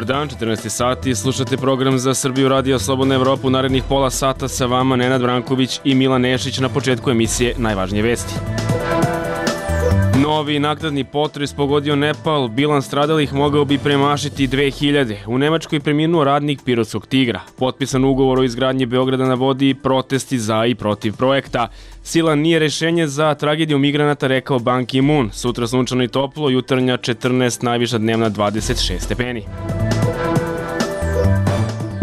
Dobar dan, 14 sati, slušate program za Srbiju Radio Slobodna Evropa. U narednih pola sata sa vama Nenad Branković i Milan Nešić. Na početku emisije najvažnije vesti. Novi naknadni potres pogodio Nepal, bilans stradalih mogao bi premašiti 2000. U Nemačkoj preminuo radnik Pirotskog Tigra. Potpisan ugovor o izgradnji Beograda na vodi, protesti za i protiv projekta. Sila nije rešenje za tragediju migranata, rekao Ban Ki-moon. Sutra sunčano i toplo, jutarnja 14, najviša dnevna 26 stepeni.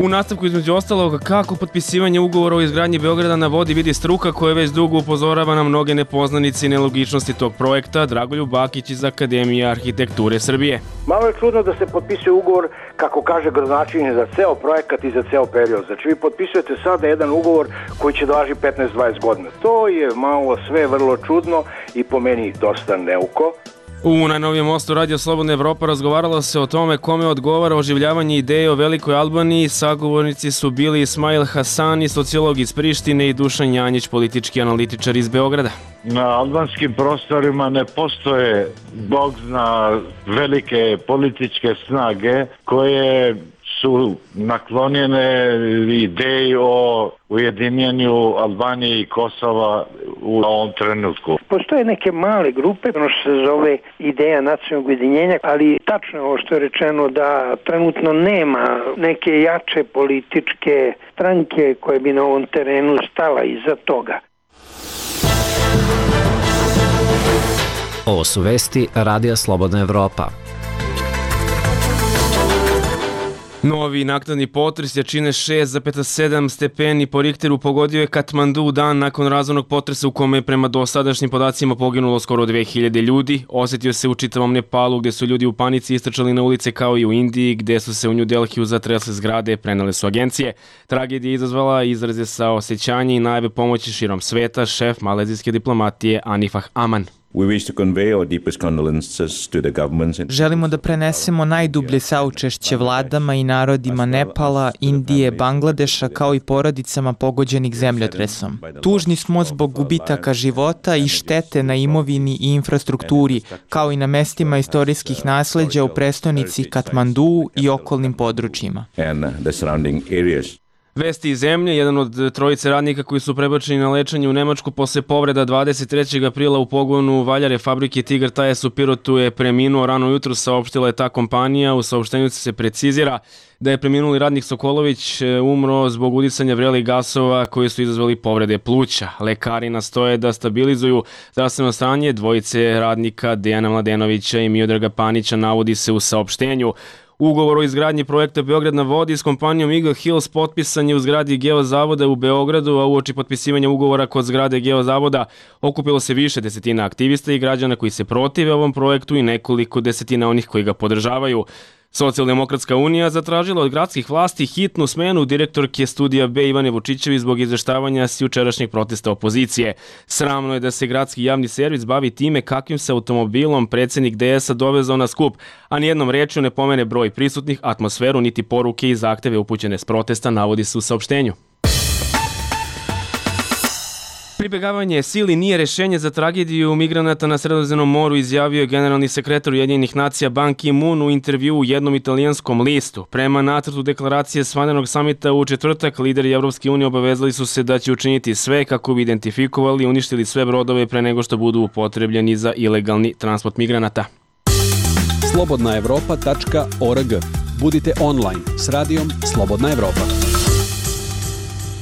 U nastavku između ostalog kako potpisivanje ugovora o izgradnji Beograda na vodi vidi struka koja već dugo upozorava na mnoge nepoznanice i nelogičnosti tog projekta. Dragoljub Bakić iz Akademije arhitekture Srbije. Malo je čudno da se potpisuje ugovor, kako kaže gradonačelnik, za ceo projekat i za ceo period. Znači vi potpisujete sada jedan ugovor koji će da važi 15-20 godina. To je malo sve vrlo čudno i po meni dosta neuko. U najnovijem mostu Radio Slobodna Evropa razgovaralo se o tome kome odgovara oživljavanje ideje o Velikoj Albaniji. Sagovornici su bili Ismail Hasani, sociolog iz Prištine, i Dušan Janjić, politički analitičar iz Beograda. Na albanskim prostorima ne postoje, Bog zna, velike političke snage koje su naklonjene ideji o ujedinjenju Albanije i Kosova u ovom trenutku. Postoje neke male grupe, ono što se zove ideja nacionalnog ujedinjenja, ali tačno je ovo što je rečeno da trenutno nema neke jače političke stranke koje bi na ovom terenu stala iza toga. Ovo su vesti Radija Slobodna Evropa. Novi naknadni potres jačine 6,7 stepeni po Richteru pogodio je Katmandu dan nakon razornog potresa u kome je prema dosadašnjim podacima poginulo skoro 2000 ljudi. Osetio se u čitavom Nepalu gde su ljudi u panici istrčali na ulice, kao i u Indiji gde su se u New Delhiju zatresle zgrade, prenele su agencije. Tragedija je izazvala izraze saosećanja i najave pomoći širom sveta, šef malezijske diplomatije Anifah Aman. Želimo da prenesemo najdublje saučešće vladama i narodima Nepala, Indije, Bangladeša, kao i porodicama pogođenih zemljotresom. Tužni smo zbog gubitaka života i štete na imovini i infrastrukturi, kao i na mestima istorijskih nasleđa u prestonici Katmandu i okolnim područjima. Vesti iz zemlje, jedan od trojice radnika koji su prebačeni na lečenje u Nemačku posle povreda 23. aprila u pogonu valjare fabrike Tigar Tires u Pirotu je preminuo rano jutro, saopštila je ta kompanija. U saopštenju se precizira da je preminuli radnik Sokolović umro zbog udisanja vrelih gasova koji su izazvali povrede pluća. Lekari nastoje da stabilizuju zdravstveno stanje dvojice radnika Dejana Mladenovića i Miodraga Panića, navodi se u saopštenju. Ugovor o izgradnji projekta Beograd na vodi s kompanijom Eagle Hills potpisan je u zgradi Geozavoda u Beogradu, a uoči potpisivanja ugovora kod zgrade Geozavoda okupilo se više desetina aktivista i građana koji se protive ovom projektu i nekoliko desetina onih koji ga podržavaju. Socijaldemokratska unija zatražila od gradskih vlasti hitnu smenu direktorke Studija B Ivane Vučićević zbog izveštavanja s jučerašnjeg protesta opozicije. Sramno je da se gradski javni servis bavi time kakvim se automobilom predsjednik DS-a dovezao na skup, a nijednom rečju ne pomene broj prisutnih, atmosferu, niti poruke i zahteve upućene s protesta, navodi se u saopštenju. Pribegavanje sili nije rešenje za tragediju migranata na Sredozemnom moru, izjavio je generalni sekretar Ujedinjenih nacija Ban Ki-moon u intervjuu u jednom italijanskom listu. Prema nacrtu deklaracije s vanrednog samita u četvrtak, lideri Evropske unije obavezali su se da će učiniti sve kako bi identifikovali i uništili sve brodove pre nego što budu upotrebljeni za ilegalni transport migranata. slobodnaevropa.org. Budite online s radijom Slobodna Evropa.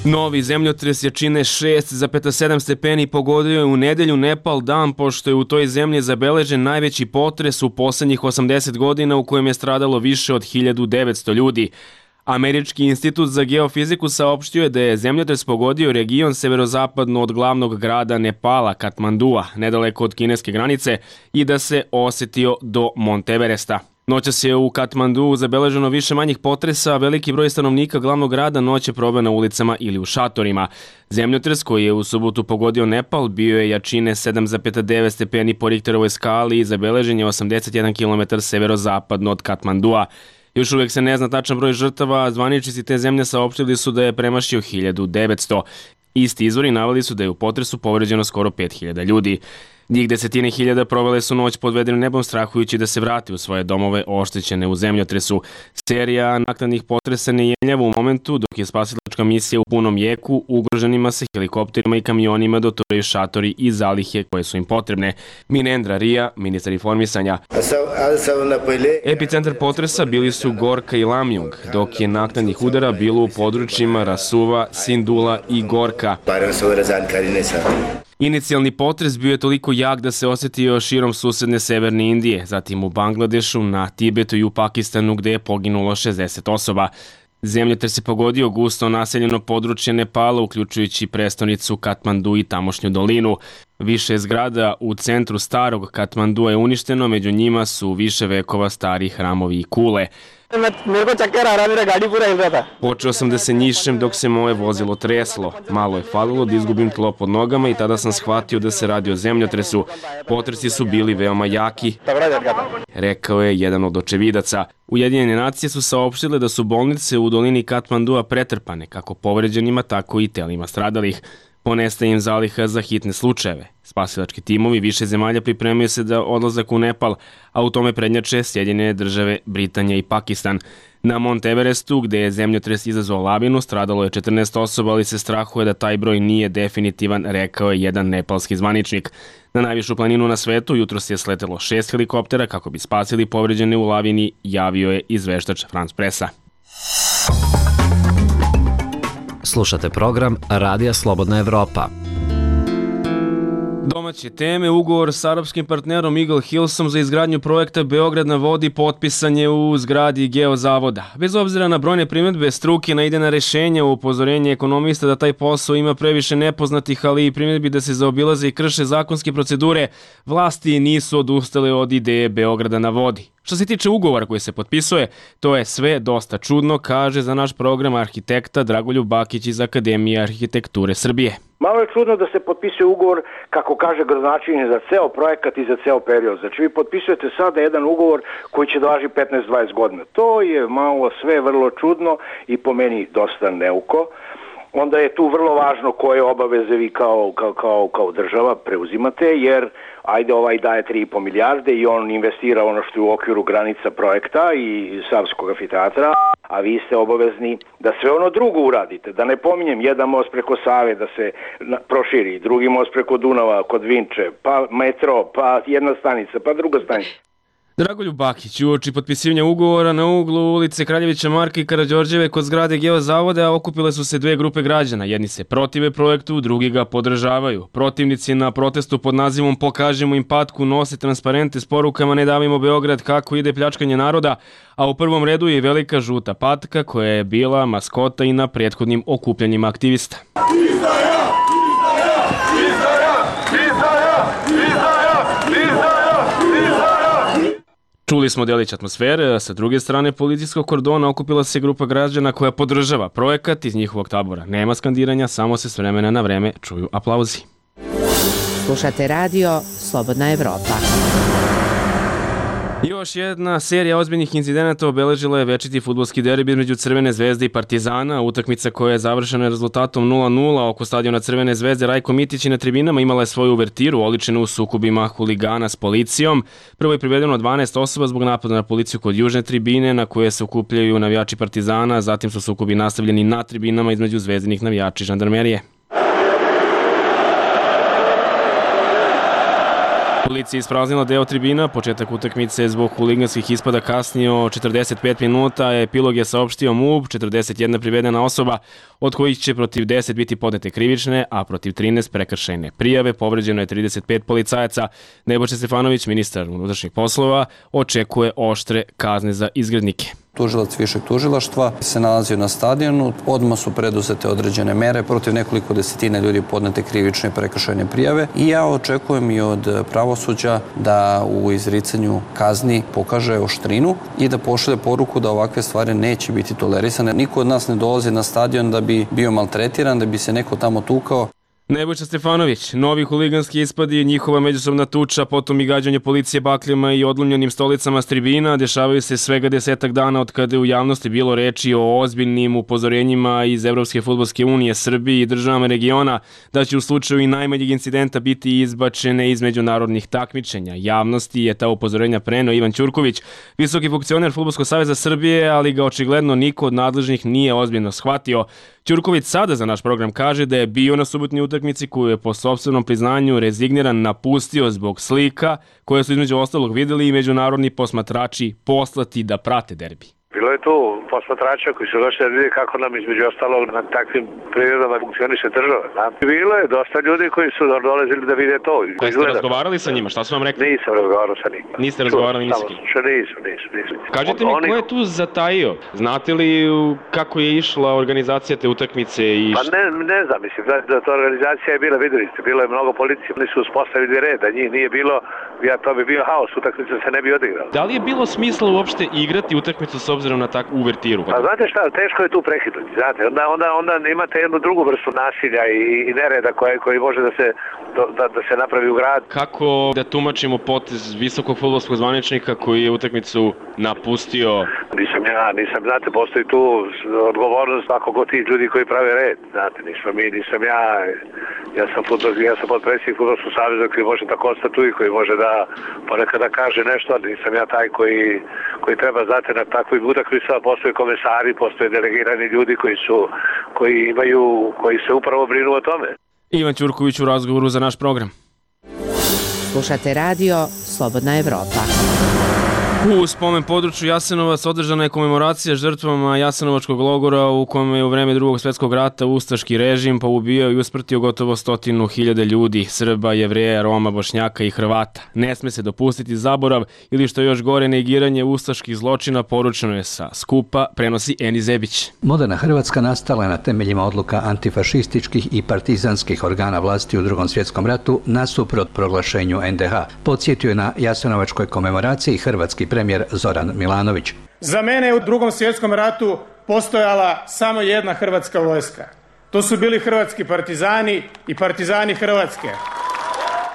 Novi zemljotres jačine 6,7 stepeni pogodio je u nedelju Nepal dan pošto je u toj zemlji zabeležen najveći potres u poslednjih 80 godina u kojem je stradalo više od 1900 ljudi. Američki institut za geofiziku saopštio je da je zemljotres pogodio region severozapadno od glavnog grada Nepala, Katmandua, nedaleko od kineske granice, i da se osetio do Monteveresta. Noćas je u Katmandu zabeleženo više manjih potresa, a veliki broj stanovnika glavnog grada noć je proveo na ulicama ili u šatorima. Zemljotres koji je u subotu pogodio Nepal bio je jačine 7,9 stepeni po Richterovoj skali i zabeležen je 81 km severozapadno od Katmandua. Još uvijek se ne zna tačan broj žrtava, a zvaničnici te zemlje saopštili su da je premašio 1900. Isti izvori naveli su da je u potresu povređeno skoro 5000 ljudi. Njih desetine hiljada provele su noć pod vedrim nebom strahujući da se vrati u svoje domove oštećene u zemljotresu. Serija naknadnih potresa ne jenjava u momentu dok je spasilačka misija u punom jeku, ugroženima se helikopterima i kamionima doturaju šatori i zalihe koje su im potrebne. Minendra Ria, ministar informisanja. Epicentar potresa bili su Gorka i Lamjung, dok je naknadnih udara bilo u područjima Rasuva, Sindula i Gorka. Inicijalni potres bio je toliko jak da se osetio širom susedne severne Indije, zatim u Bangladešu, na Tibetu i u Pakistanu gde je poginulo 60 osoba. Zemljotres je pogodio gusto naseljeno područje Nepala, uključujući prestonicu Katmandu i tamošnju dolinu. Više zgrada u centru starog Katmandua je uništeno, među njima su više vekova stari hramovi i kule. Počeo sam da se njišem dok se moje vozilo treslo. Malo je falilo da izgubim tlo pod nogama i tada sam shvatio da se radi o zemljotresu. Potresi su bili veoma jaki, rekao je jedan od očevidaca. Ujedinjene nacije su saopštile da su bolnice u dolini Katmandua pretrpane, kako povređenima, tako i telima stradalih. Ponestaje im zaliha za hitne slučajeve. Spasilački timovi više zemalja pripremaju se da odlazak u Nepal, a u tome prednjače Sjedinjene države, Britanija i Pakistan. Na Mont Everestu, gde je zemljotres izazvao lavinu, stradalo je 14 osoba, ali se strahuje da taj broj nije definitivan, rekao je jedan nepalski zvaničnik. Na najvišu planinu na svetu jutros je sletelo 6 helikoptera kako bi spasili povređene u lavini, javio je izveštač France Pressa. Slušate program Radija Slobodna Evropa. Domaće teme, ugovor s arapskim partnerom Eagle Hillsom za izgradnju projekta Beograd na vodi potpisan je u zgradi Geozavoda. Bez obzira na brojne primjedbe struke na idejna rešenja, u upozorenje ekonomista da taj posao ima previše nepoznatih, ali i primjedbi da se zaobilaze i krše zakonske procedure, vlasti nisu odustale od ideje Beograda na vodi. Što se tiče ugovora koji se potpisuje, to je sve dosta čudno, kaže za naš program arhitekta Dragoljub Bakić iz Akademije arhitekture Srbije. Malo je čudno da se potpisuje ugovor, kako kaže gradonačelnik, za ceo projekat i za ceo period. Znači vi potpisujete sada jedan ugovor koji će da važi 15-20 godina. To je malo sve vrlo čudno i po meni dosta neuko. Onda je tu vrlo važno koje obaveze vi kao država preuzimate, jer ajde ovaj daje 3,5 milijarde i on investira ono što je u okviru granica projekta i Savskog amfiteatra, a vi ste obavezni da sve ono drugo uradite. Da ne pominjem, jedan most preko Save da se proširi, drugi most preko Dunava kod Vinče, pa metro, pa jedna stanica, pa druga stanica. Dragoljub Bakić, uoči potpisivanja ugovora na uglu ulice Kraljevića Marka i Karađorđeve kod zgrade Geozavoda okupile su se dve grupe građana. Jedni se protive projektu, drugi ga podržavaju. Protivnici na protestu pod nazivom Pokažemo im patku nose transparente s porukama Ne davimo Beograd, kako ide pljačkanje naroda, a u prvom redu je velika žuta patka koja je bila maskota i na prethodnim okupljanjima aktivista. Čuli smo delić atmosfere, sa druge strane policijskog kordona okupila se grupa građana koja podržava projekat. Iz njihovog tabora nema skandiranja, samo se s vremena na vreme čuju aplauzi. Slušate radio Slobodna Evropa. Još jedna serija ozbiljnih incidenata obeležila je večiti fudbalski derbi između Crvene zvezde i Partizana. Utakmica koja je završena rezultatom 0:0 oko stadiona Crvene zvezde. Rajko Mitić na tribinama imala je svoju uvertiru oličenu u sukobima huligana s policijom. Prvo je privedeno 12 osoba zbog napada na policiju kod južne tribine na koje se okupljaju navijači Partizana, zatim su sukobi nastavljeni na tribinama između zvezdinih navijača i žandarmerije. Policija je ispraznila deo tribina, početak utakmice je zbog huliganskih ispada kasnio 45 minuta, epilog je saopštio MUP, 41 privedena osoba, od kojih će protiv 10 biti podnete krivične, a protiv 13 prekršajne prijave. Povređeno je 35 policajaca. Nebojša Stefanović, ministar unutrašnjih poslova, očekuje oštre kazne za izgrednike. Tužilac višeg tužilaštva se nalazio na stadionu, odmah su preduzete određene mere, protiv nekoliko desetina ljudi podnete krivične i prekršajne prijave i ja očekujem i od pravosuđa da u izricanju kazni pokaže oštrinu i da pošalje poruku da ovakve stvari neće biti tolerisane. Niko od nas ne dolazi na stadion da bi bio maltretiran, da bi se neko tamo tukao. Nebojša Stefanović, novi huliganski ispadi, njihova međusobna tuča, potom i gađanje policije bakljama i odlomljenim stolicama s tribina dešavaju se svega 10 dana od kada je u javnosti bilo reči o ozbiljnim upozorenjima iz Evropske fudbalske unije, Srbiji i državama regiona da će u slučaju i najmanjeg incidenta biti izbačene iz međunarodnih takmičenja. Javnosti je ta upozorenja preneo Ivan Ćurković, visoki funkcioner Fudbalskog saveza Srbije, ali ga očigledno niko od nadležnih nije ozbiljno shvatio. Ćurković sada za naš program kaže da je bio na subotnoj utakmici koju je po sopstvenom priznanju rezigniran napustio zbog slika koje su između ostalog videli i međunarodni posmatrači poslati da prate derbi. Bilo je tu posmatrača koji su došli da vidi kako nam između ostalog na takvim prirodama funkcioniše država. Bilo je dosta ljudi koji su dolazili da vide to. Jeste razgovarali sa njima? Šta su vam rekli? Nisam razgovarao sa njima. Niste razgovarali ni sa kim? Nisam. Kažite mi, ko je tu zatajio? Znate li kako je išla organizacija te utakmice? Pa ne znam, mislim da ta organizacija je bila, videli ste, bilo je mnogo policije, oni su uspostavili red, da njih nije bilo, to bi bio haos, utakmica se ne bi odigrala. Da li je bilo smisla uopšte igrati utakmicu s obzirom na takvu uvertiru? Pa znate šta, teško je tu prekinuti, znate, onda imate jednu drugu vrstu nasilja i nereda koji može da se napravi u grad. Kako da tumačimo potez visokog fudbalskog zvaničnika koji je utakmicu napustio? Nisam, znate, postoji tu odgovornost ako god tih ljudi koji prave red, znate, nisam ja sam potpredsjednik Fudbalskog saveza koji može da konstatuje, koji može da ponekad da kaže nešto, ali nisam ja taj koji treba, znate, na takvoj utakmicama postoje komesari, postoje delegirani ljudi koji se upravo brinu o tome. Ivan Ćurković u razgovoru za naš program. Slušate radio Slobodna Evropa. U spomen području Jasenovac održana je komemoracija žrtvama Jasenovačkog logora u kome je u vreme Drugog svjetskog rata ustaški režim poubijao i usmrtio gotovo 100.000 ljudi, Srba, Jevreja, Roma, Bošnjaka i Hrvata. Ne sme se dopustiti zaborav ili što je još gore negiranje ustaških zločina, poručeno je sa skupa, prenosi Eni Zebić. Moderna Hrvatska nastala je na temeljima odluka antifašističkih i partizanskih organa vlasti u Drugom svjetskom ratu nasuprot proglašenju NDH. Podsjetio je na Jasenovačkoj komemoraciji hrvatski premijer Zoran Milanović. Za mene je u Drugom svjetskom ratu postojala samo jedna hrvatska vojska. To su bili hrvatski partizani i partizani Hrvatske.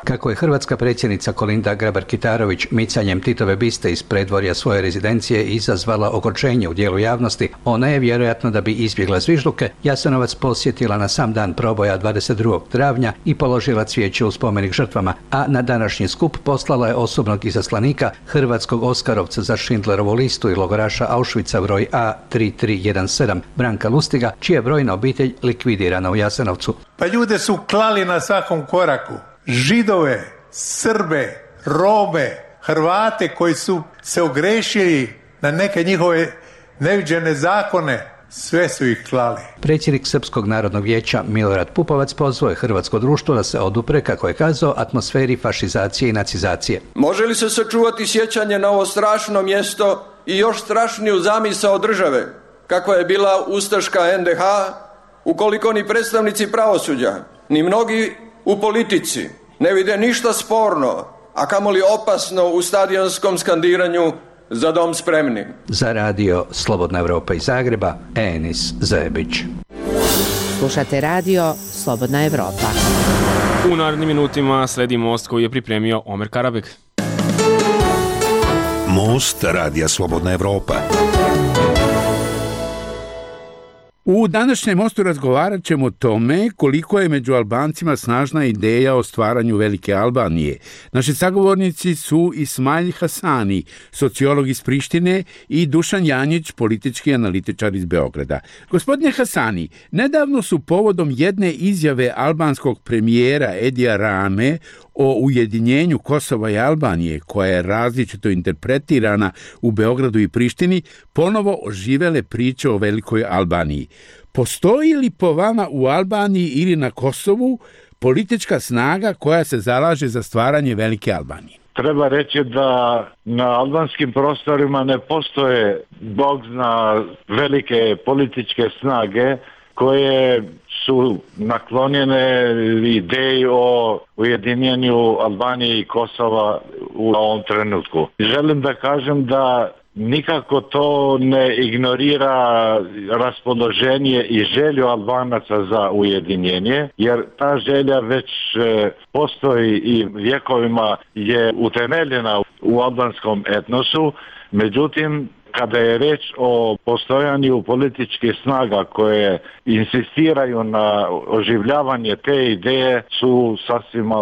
Kako je hrvatska predsjednica Kolinda Grabar-Kitarović micanjem Titove biste iz predvorja svoje rezidencije izazvala ogorčenje u dijelu javnosti, ona je vjerojatno da bi izbjegla zvižduke Jasenovac posjetila na sam dan proboja 22. travnja i položila cvijeće u spomenik žrtvama, a na današnji skup poslala je osobnog izaslanika hrvatskog Oskarovca za Schindlerovu listu i logoraša Auschwitza broj A3317 Branka Lustiga, čija je brojna obitelj likvidirana u Jasenovcu. Pa ljude su klali na svakom koraku. Židove, Srbe, Rome, Hrvate koji su se ogrešili na neke njihove neviđene zakone, sve su ih klali. Predsjednik Srpskog narodnog vijeća Milorad Pupovac pozvao je hrvatsko društvo da se odupre, kako je kazao, atmosferi fašizacije i nacizacije. Može li se sačuvati sjećanje na ovo strašno mjesto i još strašniju zamisao države, kakva je bila ustaška NDH, ukoliko ni predstavnici pravosuđa, ni mnogi u politici ne vide ništa sporno, a kamoli opasno u stadionskom skandiranju Za dom spremni. Za radio Slobodna Evropa iz Zagreba, Enis Zebić. Slušate radio Slobodna Evropa. U narednim minutima sledi most koji je pripremio Omer Karabek. Most radija Slobodna Evropa. U današnjem mostu razgovarat ćemo o tome koliko je među Albancima snažna ideja o stvaranju Velike Albanije. Naši sagovornici su Ismail Hasani, sociolog iz Prištine, i Dušan Janjić, politički analitičar iz Beograda. Gospodine Hasani, nedavno su povodom jedne izjave albanskog premijera Edija Rame o ujedinjenju Kosova i Albanije, koja je različito interpretirana u Beogradu i Prištini, ponovo oživele priče o Velikoj Albaniji. Postoji li po vama u Albaniji ili na Kosovu politička snaga koja se zalaže za stvaranje Velike Albanije? Treba reći da na albanskim prostorima ne postoje, Bog zna, velike političke snage koje su naklonjene ideji o ujedinjenju Albanije i Kosova u ovom trenutku. Želim da kažem da nikako to ne ignorira raspoloženje i želju Albanaca za ujedinjenje, jer ta želja već postoji i vjekovima je utemeljena u albanskom etnosu. Međutim, kada je reč o postojanju političkih snaga koje insistiraju na oživljavanje te ideje, su sasvim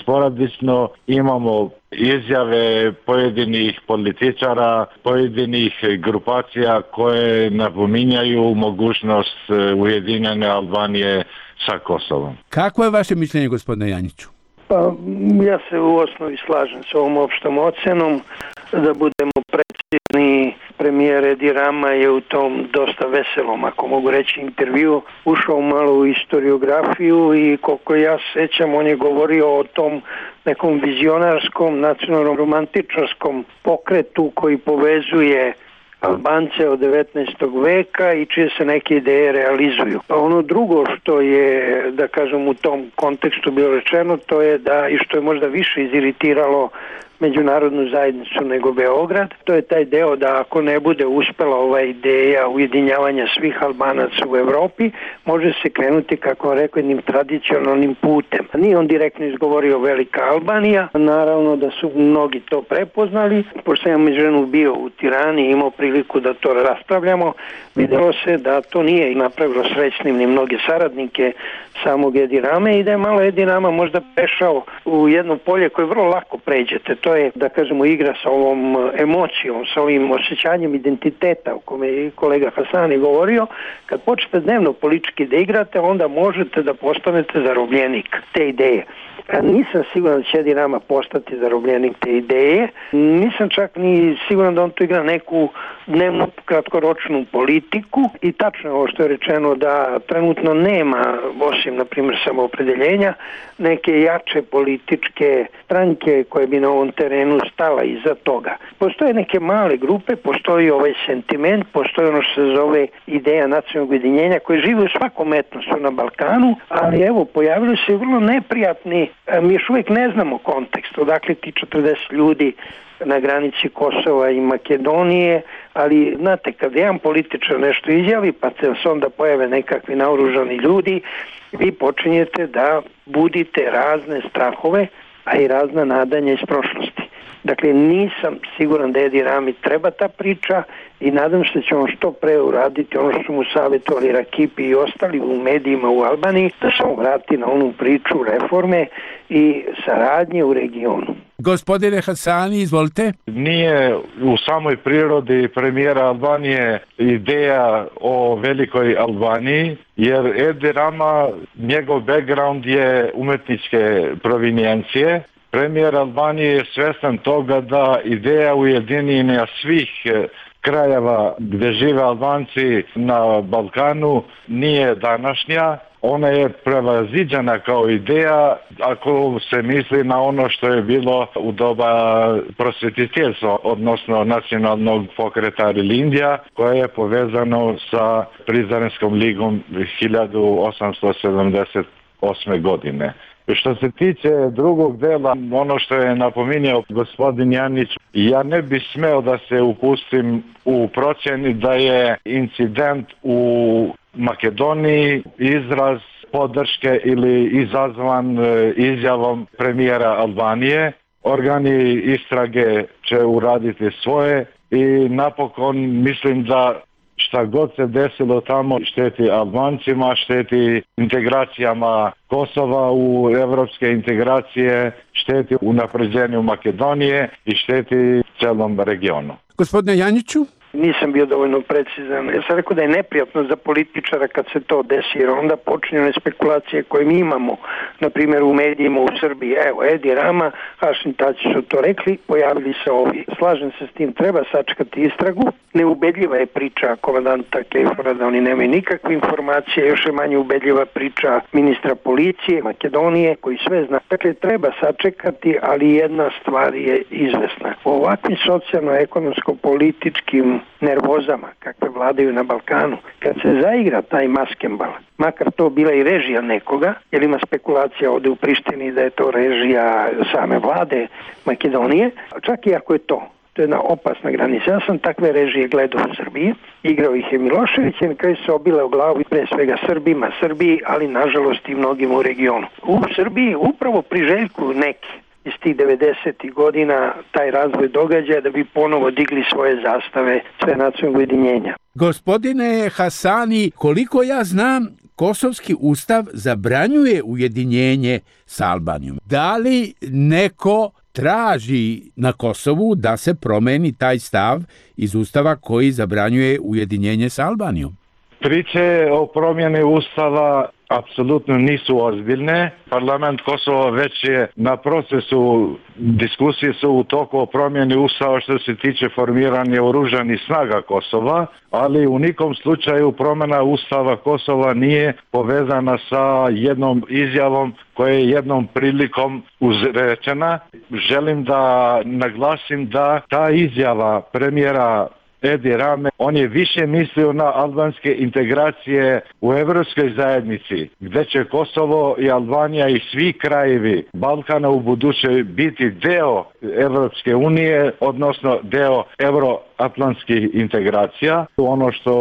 sporadično. Imamo izjave pojedinih političara, pojedinih grupacija koje napominjaju mogućnost ujedinjanja Albanije sa Kosovom. Kako je vaše mišljenje, gospodine Janjiću? Pa ja se u osnovi slažem s ovom opštom ocenom. Da budemo precizni, premijer Edi Rama je u tom dosta veselom, ako mogu reći, intervju ušao malo u historiografiju i koliko ja sećam, on je govorio o tom nekom vizionarskom, nacionalno-romantičarskom pokretu koji povezuje Albance od 19. veka i čije se neke ideje realizuju. Pa ono drugo što je, da kažem, u tom kontekstu bilo rečeno, to je da, i što je možda više iziritiralo međunarodnu zajednicu nego Beograd, to je taj deo da ako ne bude uspela ova ideja ujedinjavanja svih Albanaca u Evropi, može se krenuti, kako rekao, jednim tradicionalnim putem. Nije on direktno izgovorio Velika Albanija, naravno da su mnogi to prepoznali. Pošto sam međuvremenu bio u Tirani i imao priliku da to raspravljamo, vidjelo se da to nije napravilo srećnim ni mnoge saradnike samog Edi Rame i da je malo Edi Rama možda prešao u jedno polje koje vrlo lako pređete. To je, da kažemo, igra sa ovom emocijom, sa ovim osjećanjem identiteta o kome je kolega Hasani govorio. Kad počnete dnevno politički da igrate, onda možete da postanete zarobljenik te ideje. Nisam siguran da će Edi Rama postati zarobljenik te ideje. Nisam čak ni siguran da on tu igra neku dnevnu kratkoročnu politiku i tačno je ovo što je rečeno da trenutno nema, osim na primjer samoopredeljenja, neke jače političke stranke koje bi na ovom terenu stala iza toga. Postoje neke male grupe, postoji ovaj sentiment, postoji ono što se zove ideja nacionalnog ujedinjenja koje žive u svakom etnosu na Balkanu, ali evo pojavili se vrlo neprijatni, mi još uvijek ne znamo kontekst, odakle ti 40 ljudi na granici Kosova i Makedonije, ali znate, kad jedan političar nešto izjavi, pa se onda pojave nekakvi naoružani ljudi, vi počinjete da budite razne strahove, a i razna nadanja iz prošlosti. Dakle, nisam siguran da Edi Rami treba ta priča i nadam se da će on što pre uraditi ono što mu savjetovali Rakipi i ostali u medijima u Albaniji, da se on vrati na onu priču reforme i saradnje u regionu. Gospodine Hasani, izvolite. Nije u samoj prirodi premijera Albanije ideja o velikoj Albaniji, jer Edi Rama, njegov background je umetničke provinijencije. Premijer Albanije je svjestan toga da ideja ujedinjenja svih krajeva gdje žive Albanci na Balkanu nije današnja. Ona je prevaziđena kao ideja ako se misli na ono što je bilo u doba prosvjetiteljstva, odnosno nacionalnog pokreta Rilindija, koje je povezano sa Prizrenskom ligom 1878. godine. Što se tiče drugog dela, ono što je napominjao gospodin Janić, ja ne bi smeo da se upustim u procjeni da je incident u Makedoniji izraz podrške ili izazvan izjavom premijera Albanije. Organi istrage će uraditi svoje i napokon mislim da šta god se desilo tamo šteti Albancima, šteti integracijama Kosova u evropske integracije, šteti unapređenju Makedonije i šteti celom regionu. Gospodine Janjiću? Nisam bio dovoljno precizan. Ja sam rekao da je neprijatno za političara kad se to desi, jer onda počinju one spekulacije koje mi imamo, na primjer u medijima u Srbiji. Evo, Edi Rama, Hašim Tači su to rekli, pojavili se ovi. Slažem se s tim, treba sačekati istragu. Neubedljiva je priča komandanta Kejfora da oni nemaju nikakve informacije, još je manje ubedljiva priča ministra policije Makedonije koji sve zna. Dakle, treba sačekati, ali jedna stvar je izvesna. U ovakvim socijalno-ekonomsko-političkim nervozama kakve vladaju na Balkanu, kad se zaigra taj maskembal, makar to bila i režija nekoga, jer ima spekulacija ovdje u Prištini da je to režija same vlade Makedonije, čak i ako je to To je jedna opasna granica. Ja sam takve režije gledao u Srbiji, igrao ih je Milošević i na kraju se obile u glavu pre svega Srbiji, ali nažalost i mnogim u regionu. U Srbiji upravo priželjkuju neki iz tih 90. godina taj razvoj događaja da bi ponovo digli svoje zastave sve nacionalnog ujedinjenja. Gospodine Hasani, koliko ja znam, Kosovski ustav zabranjuje ujedinjenje s Albanijom. Da li neko traži na Kosovu da se promeni taj stav iz ustava koji zabranjuje ujedinjenje s Albanijom? Priče o promjeni ustava apsolutno nisu ozbiljne. Parlament Kosova već je na procesu, diskusije su u toku o promjeni ustava što se tiče formiranja oružanih snaga Kosova, ali u nikom slučaju promjena ustava Kosova nije povezana sa jednom izjavom koja je jednom prilikom izrečena. Želim da naglasim da ta izjava premijera Edi Rame, on je više mislio na albanske integracije u Evropskoj zajednici, gdje će Kosovo i Albanija i svi krajevi Balkana u buduće biti deo Evropske unije, odnosno deo euroatlantskih integracija. Ono što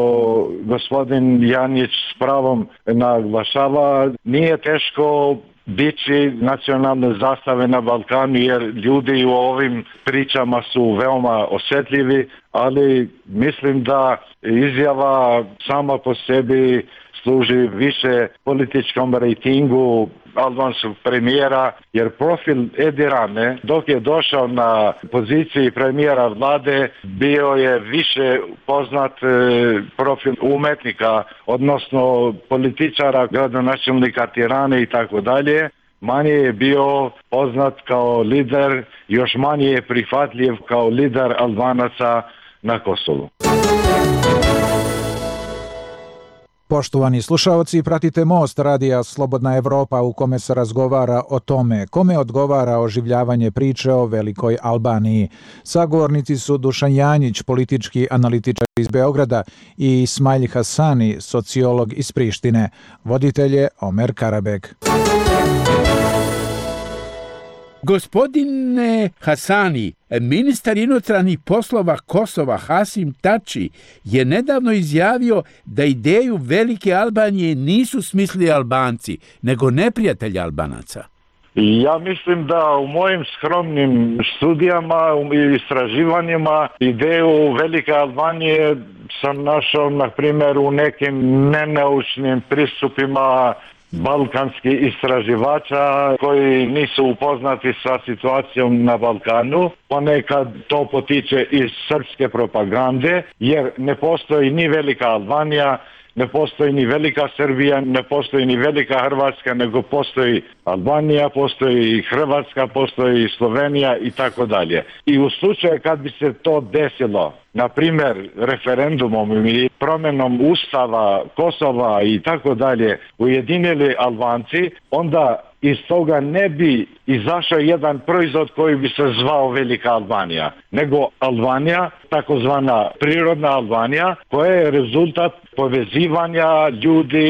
gospodin Janjić s pravom naglašava, nije teško dići nacionalne zastave na Balkanu jer ljudi u ovim pričama su veoma osjetljivi, ali mislim da izjava sama po sebi služi više političkom rejtingu albanskog premijera, jer profil Edi Rame, dok je došao na poziciji premijera vlade, bio je više poznat profil umetnika, odnosno političara, gradonačelnika Tirane i tako dalje. Manje je bio poznat kao lider, još manje je prihvatljiv kao lider Albanaca na Kosovu. Poštovani slušaoci, pratite Most radija Slobodna Evropa u kome se razgovara o tome kome odgovara oživljavanje priče o Velikoj Albaniji. Sagovornici su Dušan Janjić, politički analitičar iz Beograda, i Ismail Hasani, sociolog iz Prištine. Voditelj je Omer Karabek. Gospodine Hasani, ministar inostranih poslova Kosova Hasim Tači je nedavno izjavio da ideju Velike Albanije nisu smislili Albanci, nego neprijatelji Albanaca. Ja mislim da u mojim skromnim studijama i istraživanjima ideju Velike Albanije sam našao, na primjer, u nekim nenaučnim pristupima balkanskih istraživača koji nisu upoznati sa situacijom na Balkanu. Ponekad to potiče iz srpske propagande, jer ne postoji ni Velika Albanija, ne postoji ni Velika Srbija, ne postoji ni Velika Hrvatska, nego postoji Albanija, postoji Hrvatska, postoji Slovenija i tako dalje. I u slučaju kad bi se to desilo, na primjer referendumom i promjenom ustava Kosova i tako dalje, ujedinili Albanci, onda iz toga ne bi izašao jedan proizvod koji bi se zvao Velika Albanija, nego Albanija, takozvana prirodna Albanija, koja je rezultat povezivanja ljudi,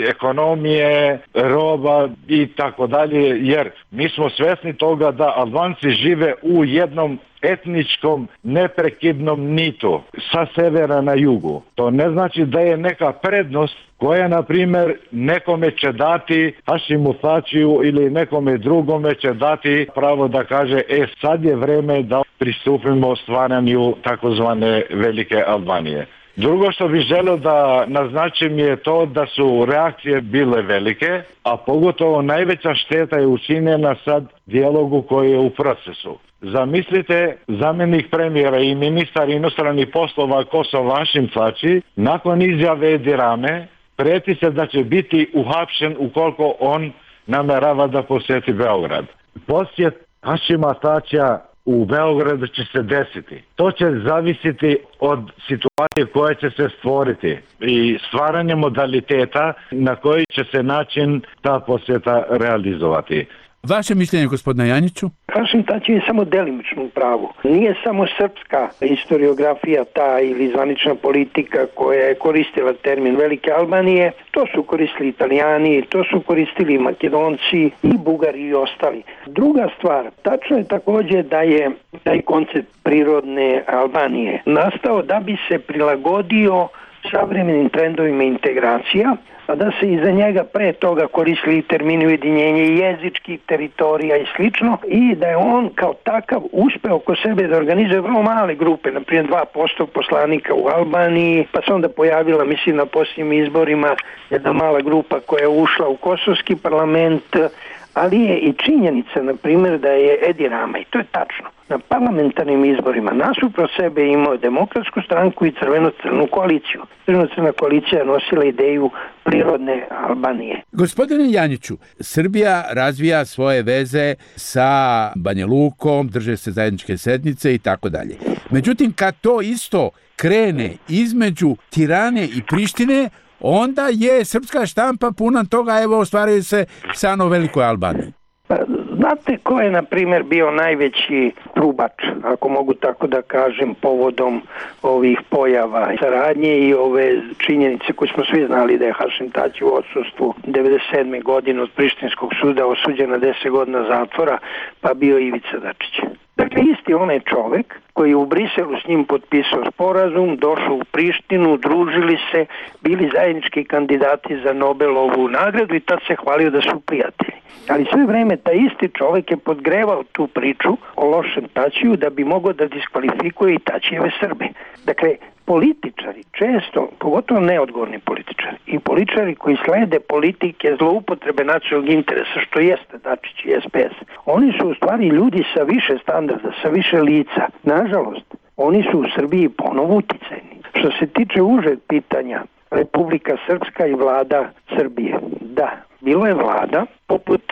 ekonomije, roba i tako dalje, jer mi smo svjesni toga da Albanci žive u jednom etničkom neprekidnom nitu sa severa na jugu. To ne znači da je neka prednost koja, na primjer, nekome će dati Hašimu Tačiju ili nekome drugome će dati pravo da kaže sad je vreme da pristupimo stvaranju takozvane Velike Albanije. Drugo što bih želio da naznačim je to da su reakcije bile velike, a pogotovo najveća šteta je učinjena sad dijalogu koji je u procesu. Zamislite, zamjenik premijera i ministar inostranih poslova Kosova Hašim Tači nakon izjave Edi Rame prijeti se da će biti uhapšen ukoliko on namerava da posjeti Beograd. Posjet Hašima Tačija u Beogradu će se desiti. To će zavisiti od situacije koja će se stvoriti i stvaranje modaliteta na koji će se način ta posjeta realizovati. Vaše mišljenje, gospodine Janjiću? Hašim Tači je samo delimično u pravu. Nije samo srpska historiografija ta ili zvanična politika koja je koristila termin Velike Albanije. To su koristili Italijani, to su koristili Makedonci i Bugari i ostali. Druga stvar, tačno je također da je taj koncept prirodne Albanije nastao da bi se prilagodio savremenim trendovima integracija, a da se iza njega pre toga koristili termini ujedinjenja jezičkih teritorija i slično, i da je on kao takav uspeo oko sebe da organizuje vrlo male grupe, na primjer 2% poslanika u Albaniji, pa se onda pojavila, mislim, na posljednjim izborima jedna mala grupa koja je ušla u kosovski parlament, ali je i činjenica, na primjer, da je Edi Rama, i to je tačno, na parlamentarnim izborima nasuprot sebe imao Demokratsku stranku i Crveno-crnu koaliciju. Crveno-crna koalicija je nosila ideju prirodne Albanije. Gospodine Janjiću, Srbija razvija svoje veze sa Banja Lukom, drže se zajedničke sednice i tako dalje. Međutim, kad to isto krene između Tirane i Prištine, onda je srpska štampa puna toga, evo, ostvaraju se san o Velikoj Albaniji. Znate ko je, na primjer, bio najveći trubač, ako mogu tako da kažem, povodom ovih pojava saradnje i ove činjenice koje smo svi znali da je Hašim Tači u odsustvu 97. godine od Prištinskog suda osuđen na 10 godina zatvora, pa bio Ivica Dačić. Dakle, isti onaj čovjek koji je u Briselu s njim potpisao sporazum, došao u Prištinu, družili se, bili zajednički kandidati za Nobelovu nagradu i tad se hvalio da su prijatelji. Ali sve vreme taj isti čovjek je podgrevao tu priču o lošem Tačiju da bi mogao da diskvalifikuje i Tačijeve Srbe. Dakle, političari često, pogotovo neodgovorni političari i političari koji slede politike zloupotrebe nacionalnog interesa, što jeste Dačić i SPS, oni su u stvari ljudi sa više standarda, sa više lica. Nažalost, oni su u Srbiji ponovo uticajni. Što se tiče užeg pitanja, Republika Srpska i vlada Srbije, da, bilo je vlada poput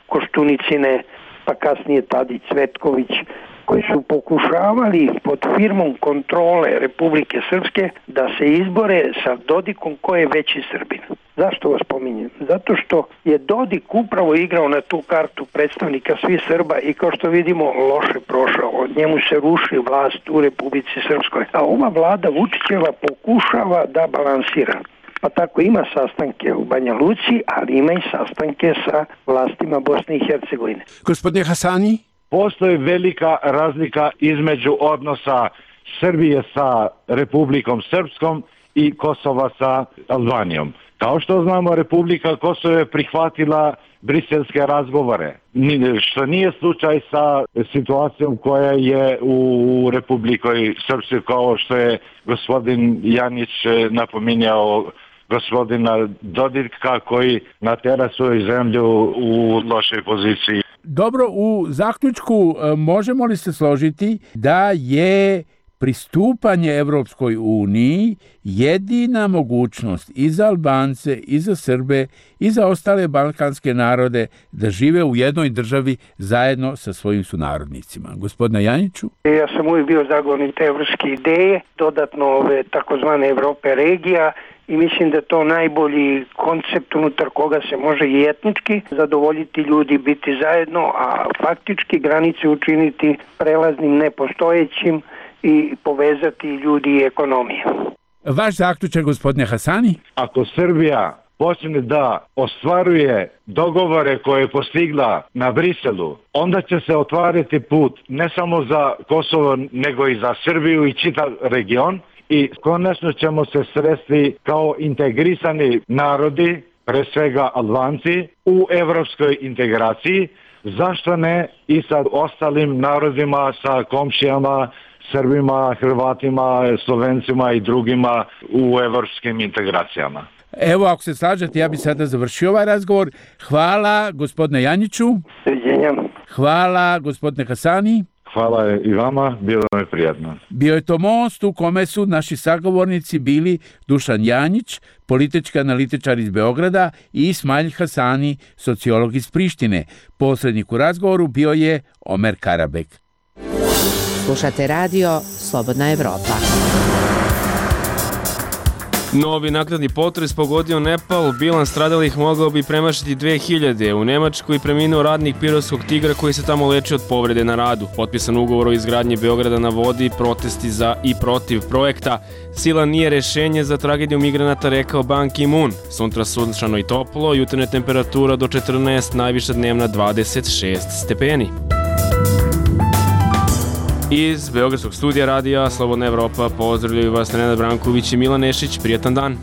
Koštunicine, pa kasnije Tadić, Cvetković, koji su pokušavali pod firmom kontrole Republike Srpske da se izbore sa Dodikom ko je veći Srbin. Zašto vas pominjem? Zato što je Dodik upravo igrao na tu kartu predstavnika svih Srba i kao što vidimo loše prošao. Od njemu se ruši vlast u Republici Srpskoj. A ova vlada Vučićeva pokušava da balansira. Pa tako ima sastanke u Banja Luci, ali ima i sastanke sa vlastima Bosne i Hercegovine. Gospodine Hasani? Postoji velika razlika između odnosa Srbije sa Republikom Srpskom i Kosova sa Albanijom. Kao što znamo, Republika Kosovo je prihvatila briselske razgovore, što nije slučaj sa situacijom koja je u Republikoj Srpskoj, kao što je gospodin Janić napominjao gospodina Dodika koji natera svoju zemlju u lošoj poziciji. Dobro, u zaključku možemo li se složiti da je pristupanje Evropskoj uniji jedina mogućnost i za Albance, i za Srbe, i za ostale balkanske narode da žive u jednoj državi zajedno sa svojim sunarodnicima? Gospodine Janjiću? Ja sam uvijek bio zagovornik te evropske ideje, dodatno ove takozvane Evrope regija, i mislim da je to najbolji koncept unutar koga se može i etnički zadovoljiti ljudi, biti zajedno, a faktički granice učiniti prelaznim, nepostojećim i povezati ljudi i ekonomije. Vaš zaključak, gospodine Hasani? Ako Srbija počne da ostvaruje dogovore koje je postigla na Briselu, onda će se otvarati put ne samo za Kosovo, nego i za Srbiju i čitav region, i konačno ćemo se sresti kao integrisani narodi, pre svega Albanci, u evropskoj integraciji. Zašto ne i sa ostalim narodima, sa komšijama, Srbima, Hrvatima, Slovencima i drugima u evropskim integracijama. Evo, ako se slažete, ja bih sada završio ovaj razgovor. Hvala gospodine Janjiću. Hvala gospodine Hasani. Hvala i vama, bilo mi prijatno. Bio je to most u kome su naši sagovornici bili Dušan Janjić, politički analitičar iz Beograda, i Ismail Hasani, sociolog iz Prištine. Posrednik u razgovoru bio je Omer Karabek. Slušate radio Slobodna Evropa. Novi naknadni potres pogodio Nepal, bilans stradalih mogao bi premašiti 2000. U Nemačkoj preminuo radnik Pirotskog Tigra koji se tamo leči od povrede na radu. Potpisan ugovor o izgradnji Beograda na vodi, protesti za i protiv projekta. Sila nije rešenje za tragediju migranata, rekao Ban Ki-moon. Sutra sunčano i toplo, jutarnja temperatura do 14, najviša dnevna 26 stepeni. Iz Beogradskog studija radija Slobodna Evropa pozdravljaju vas Nenad Branković i Milan Nešić. Prijatan dan.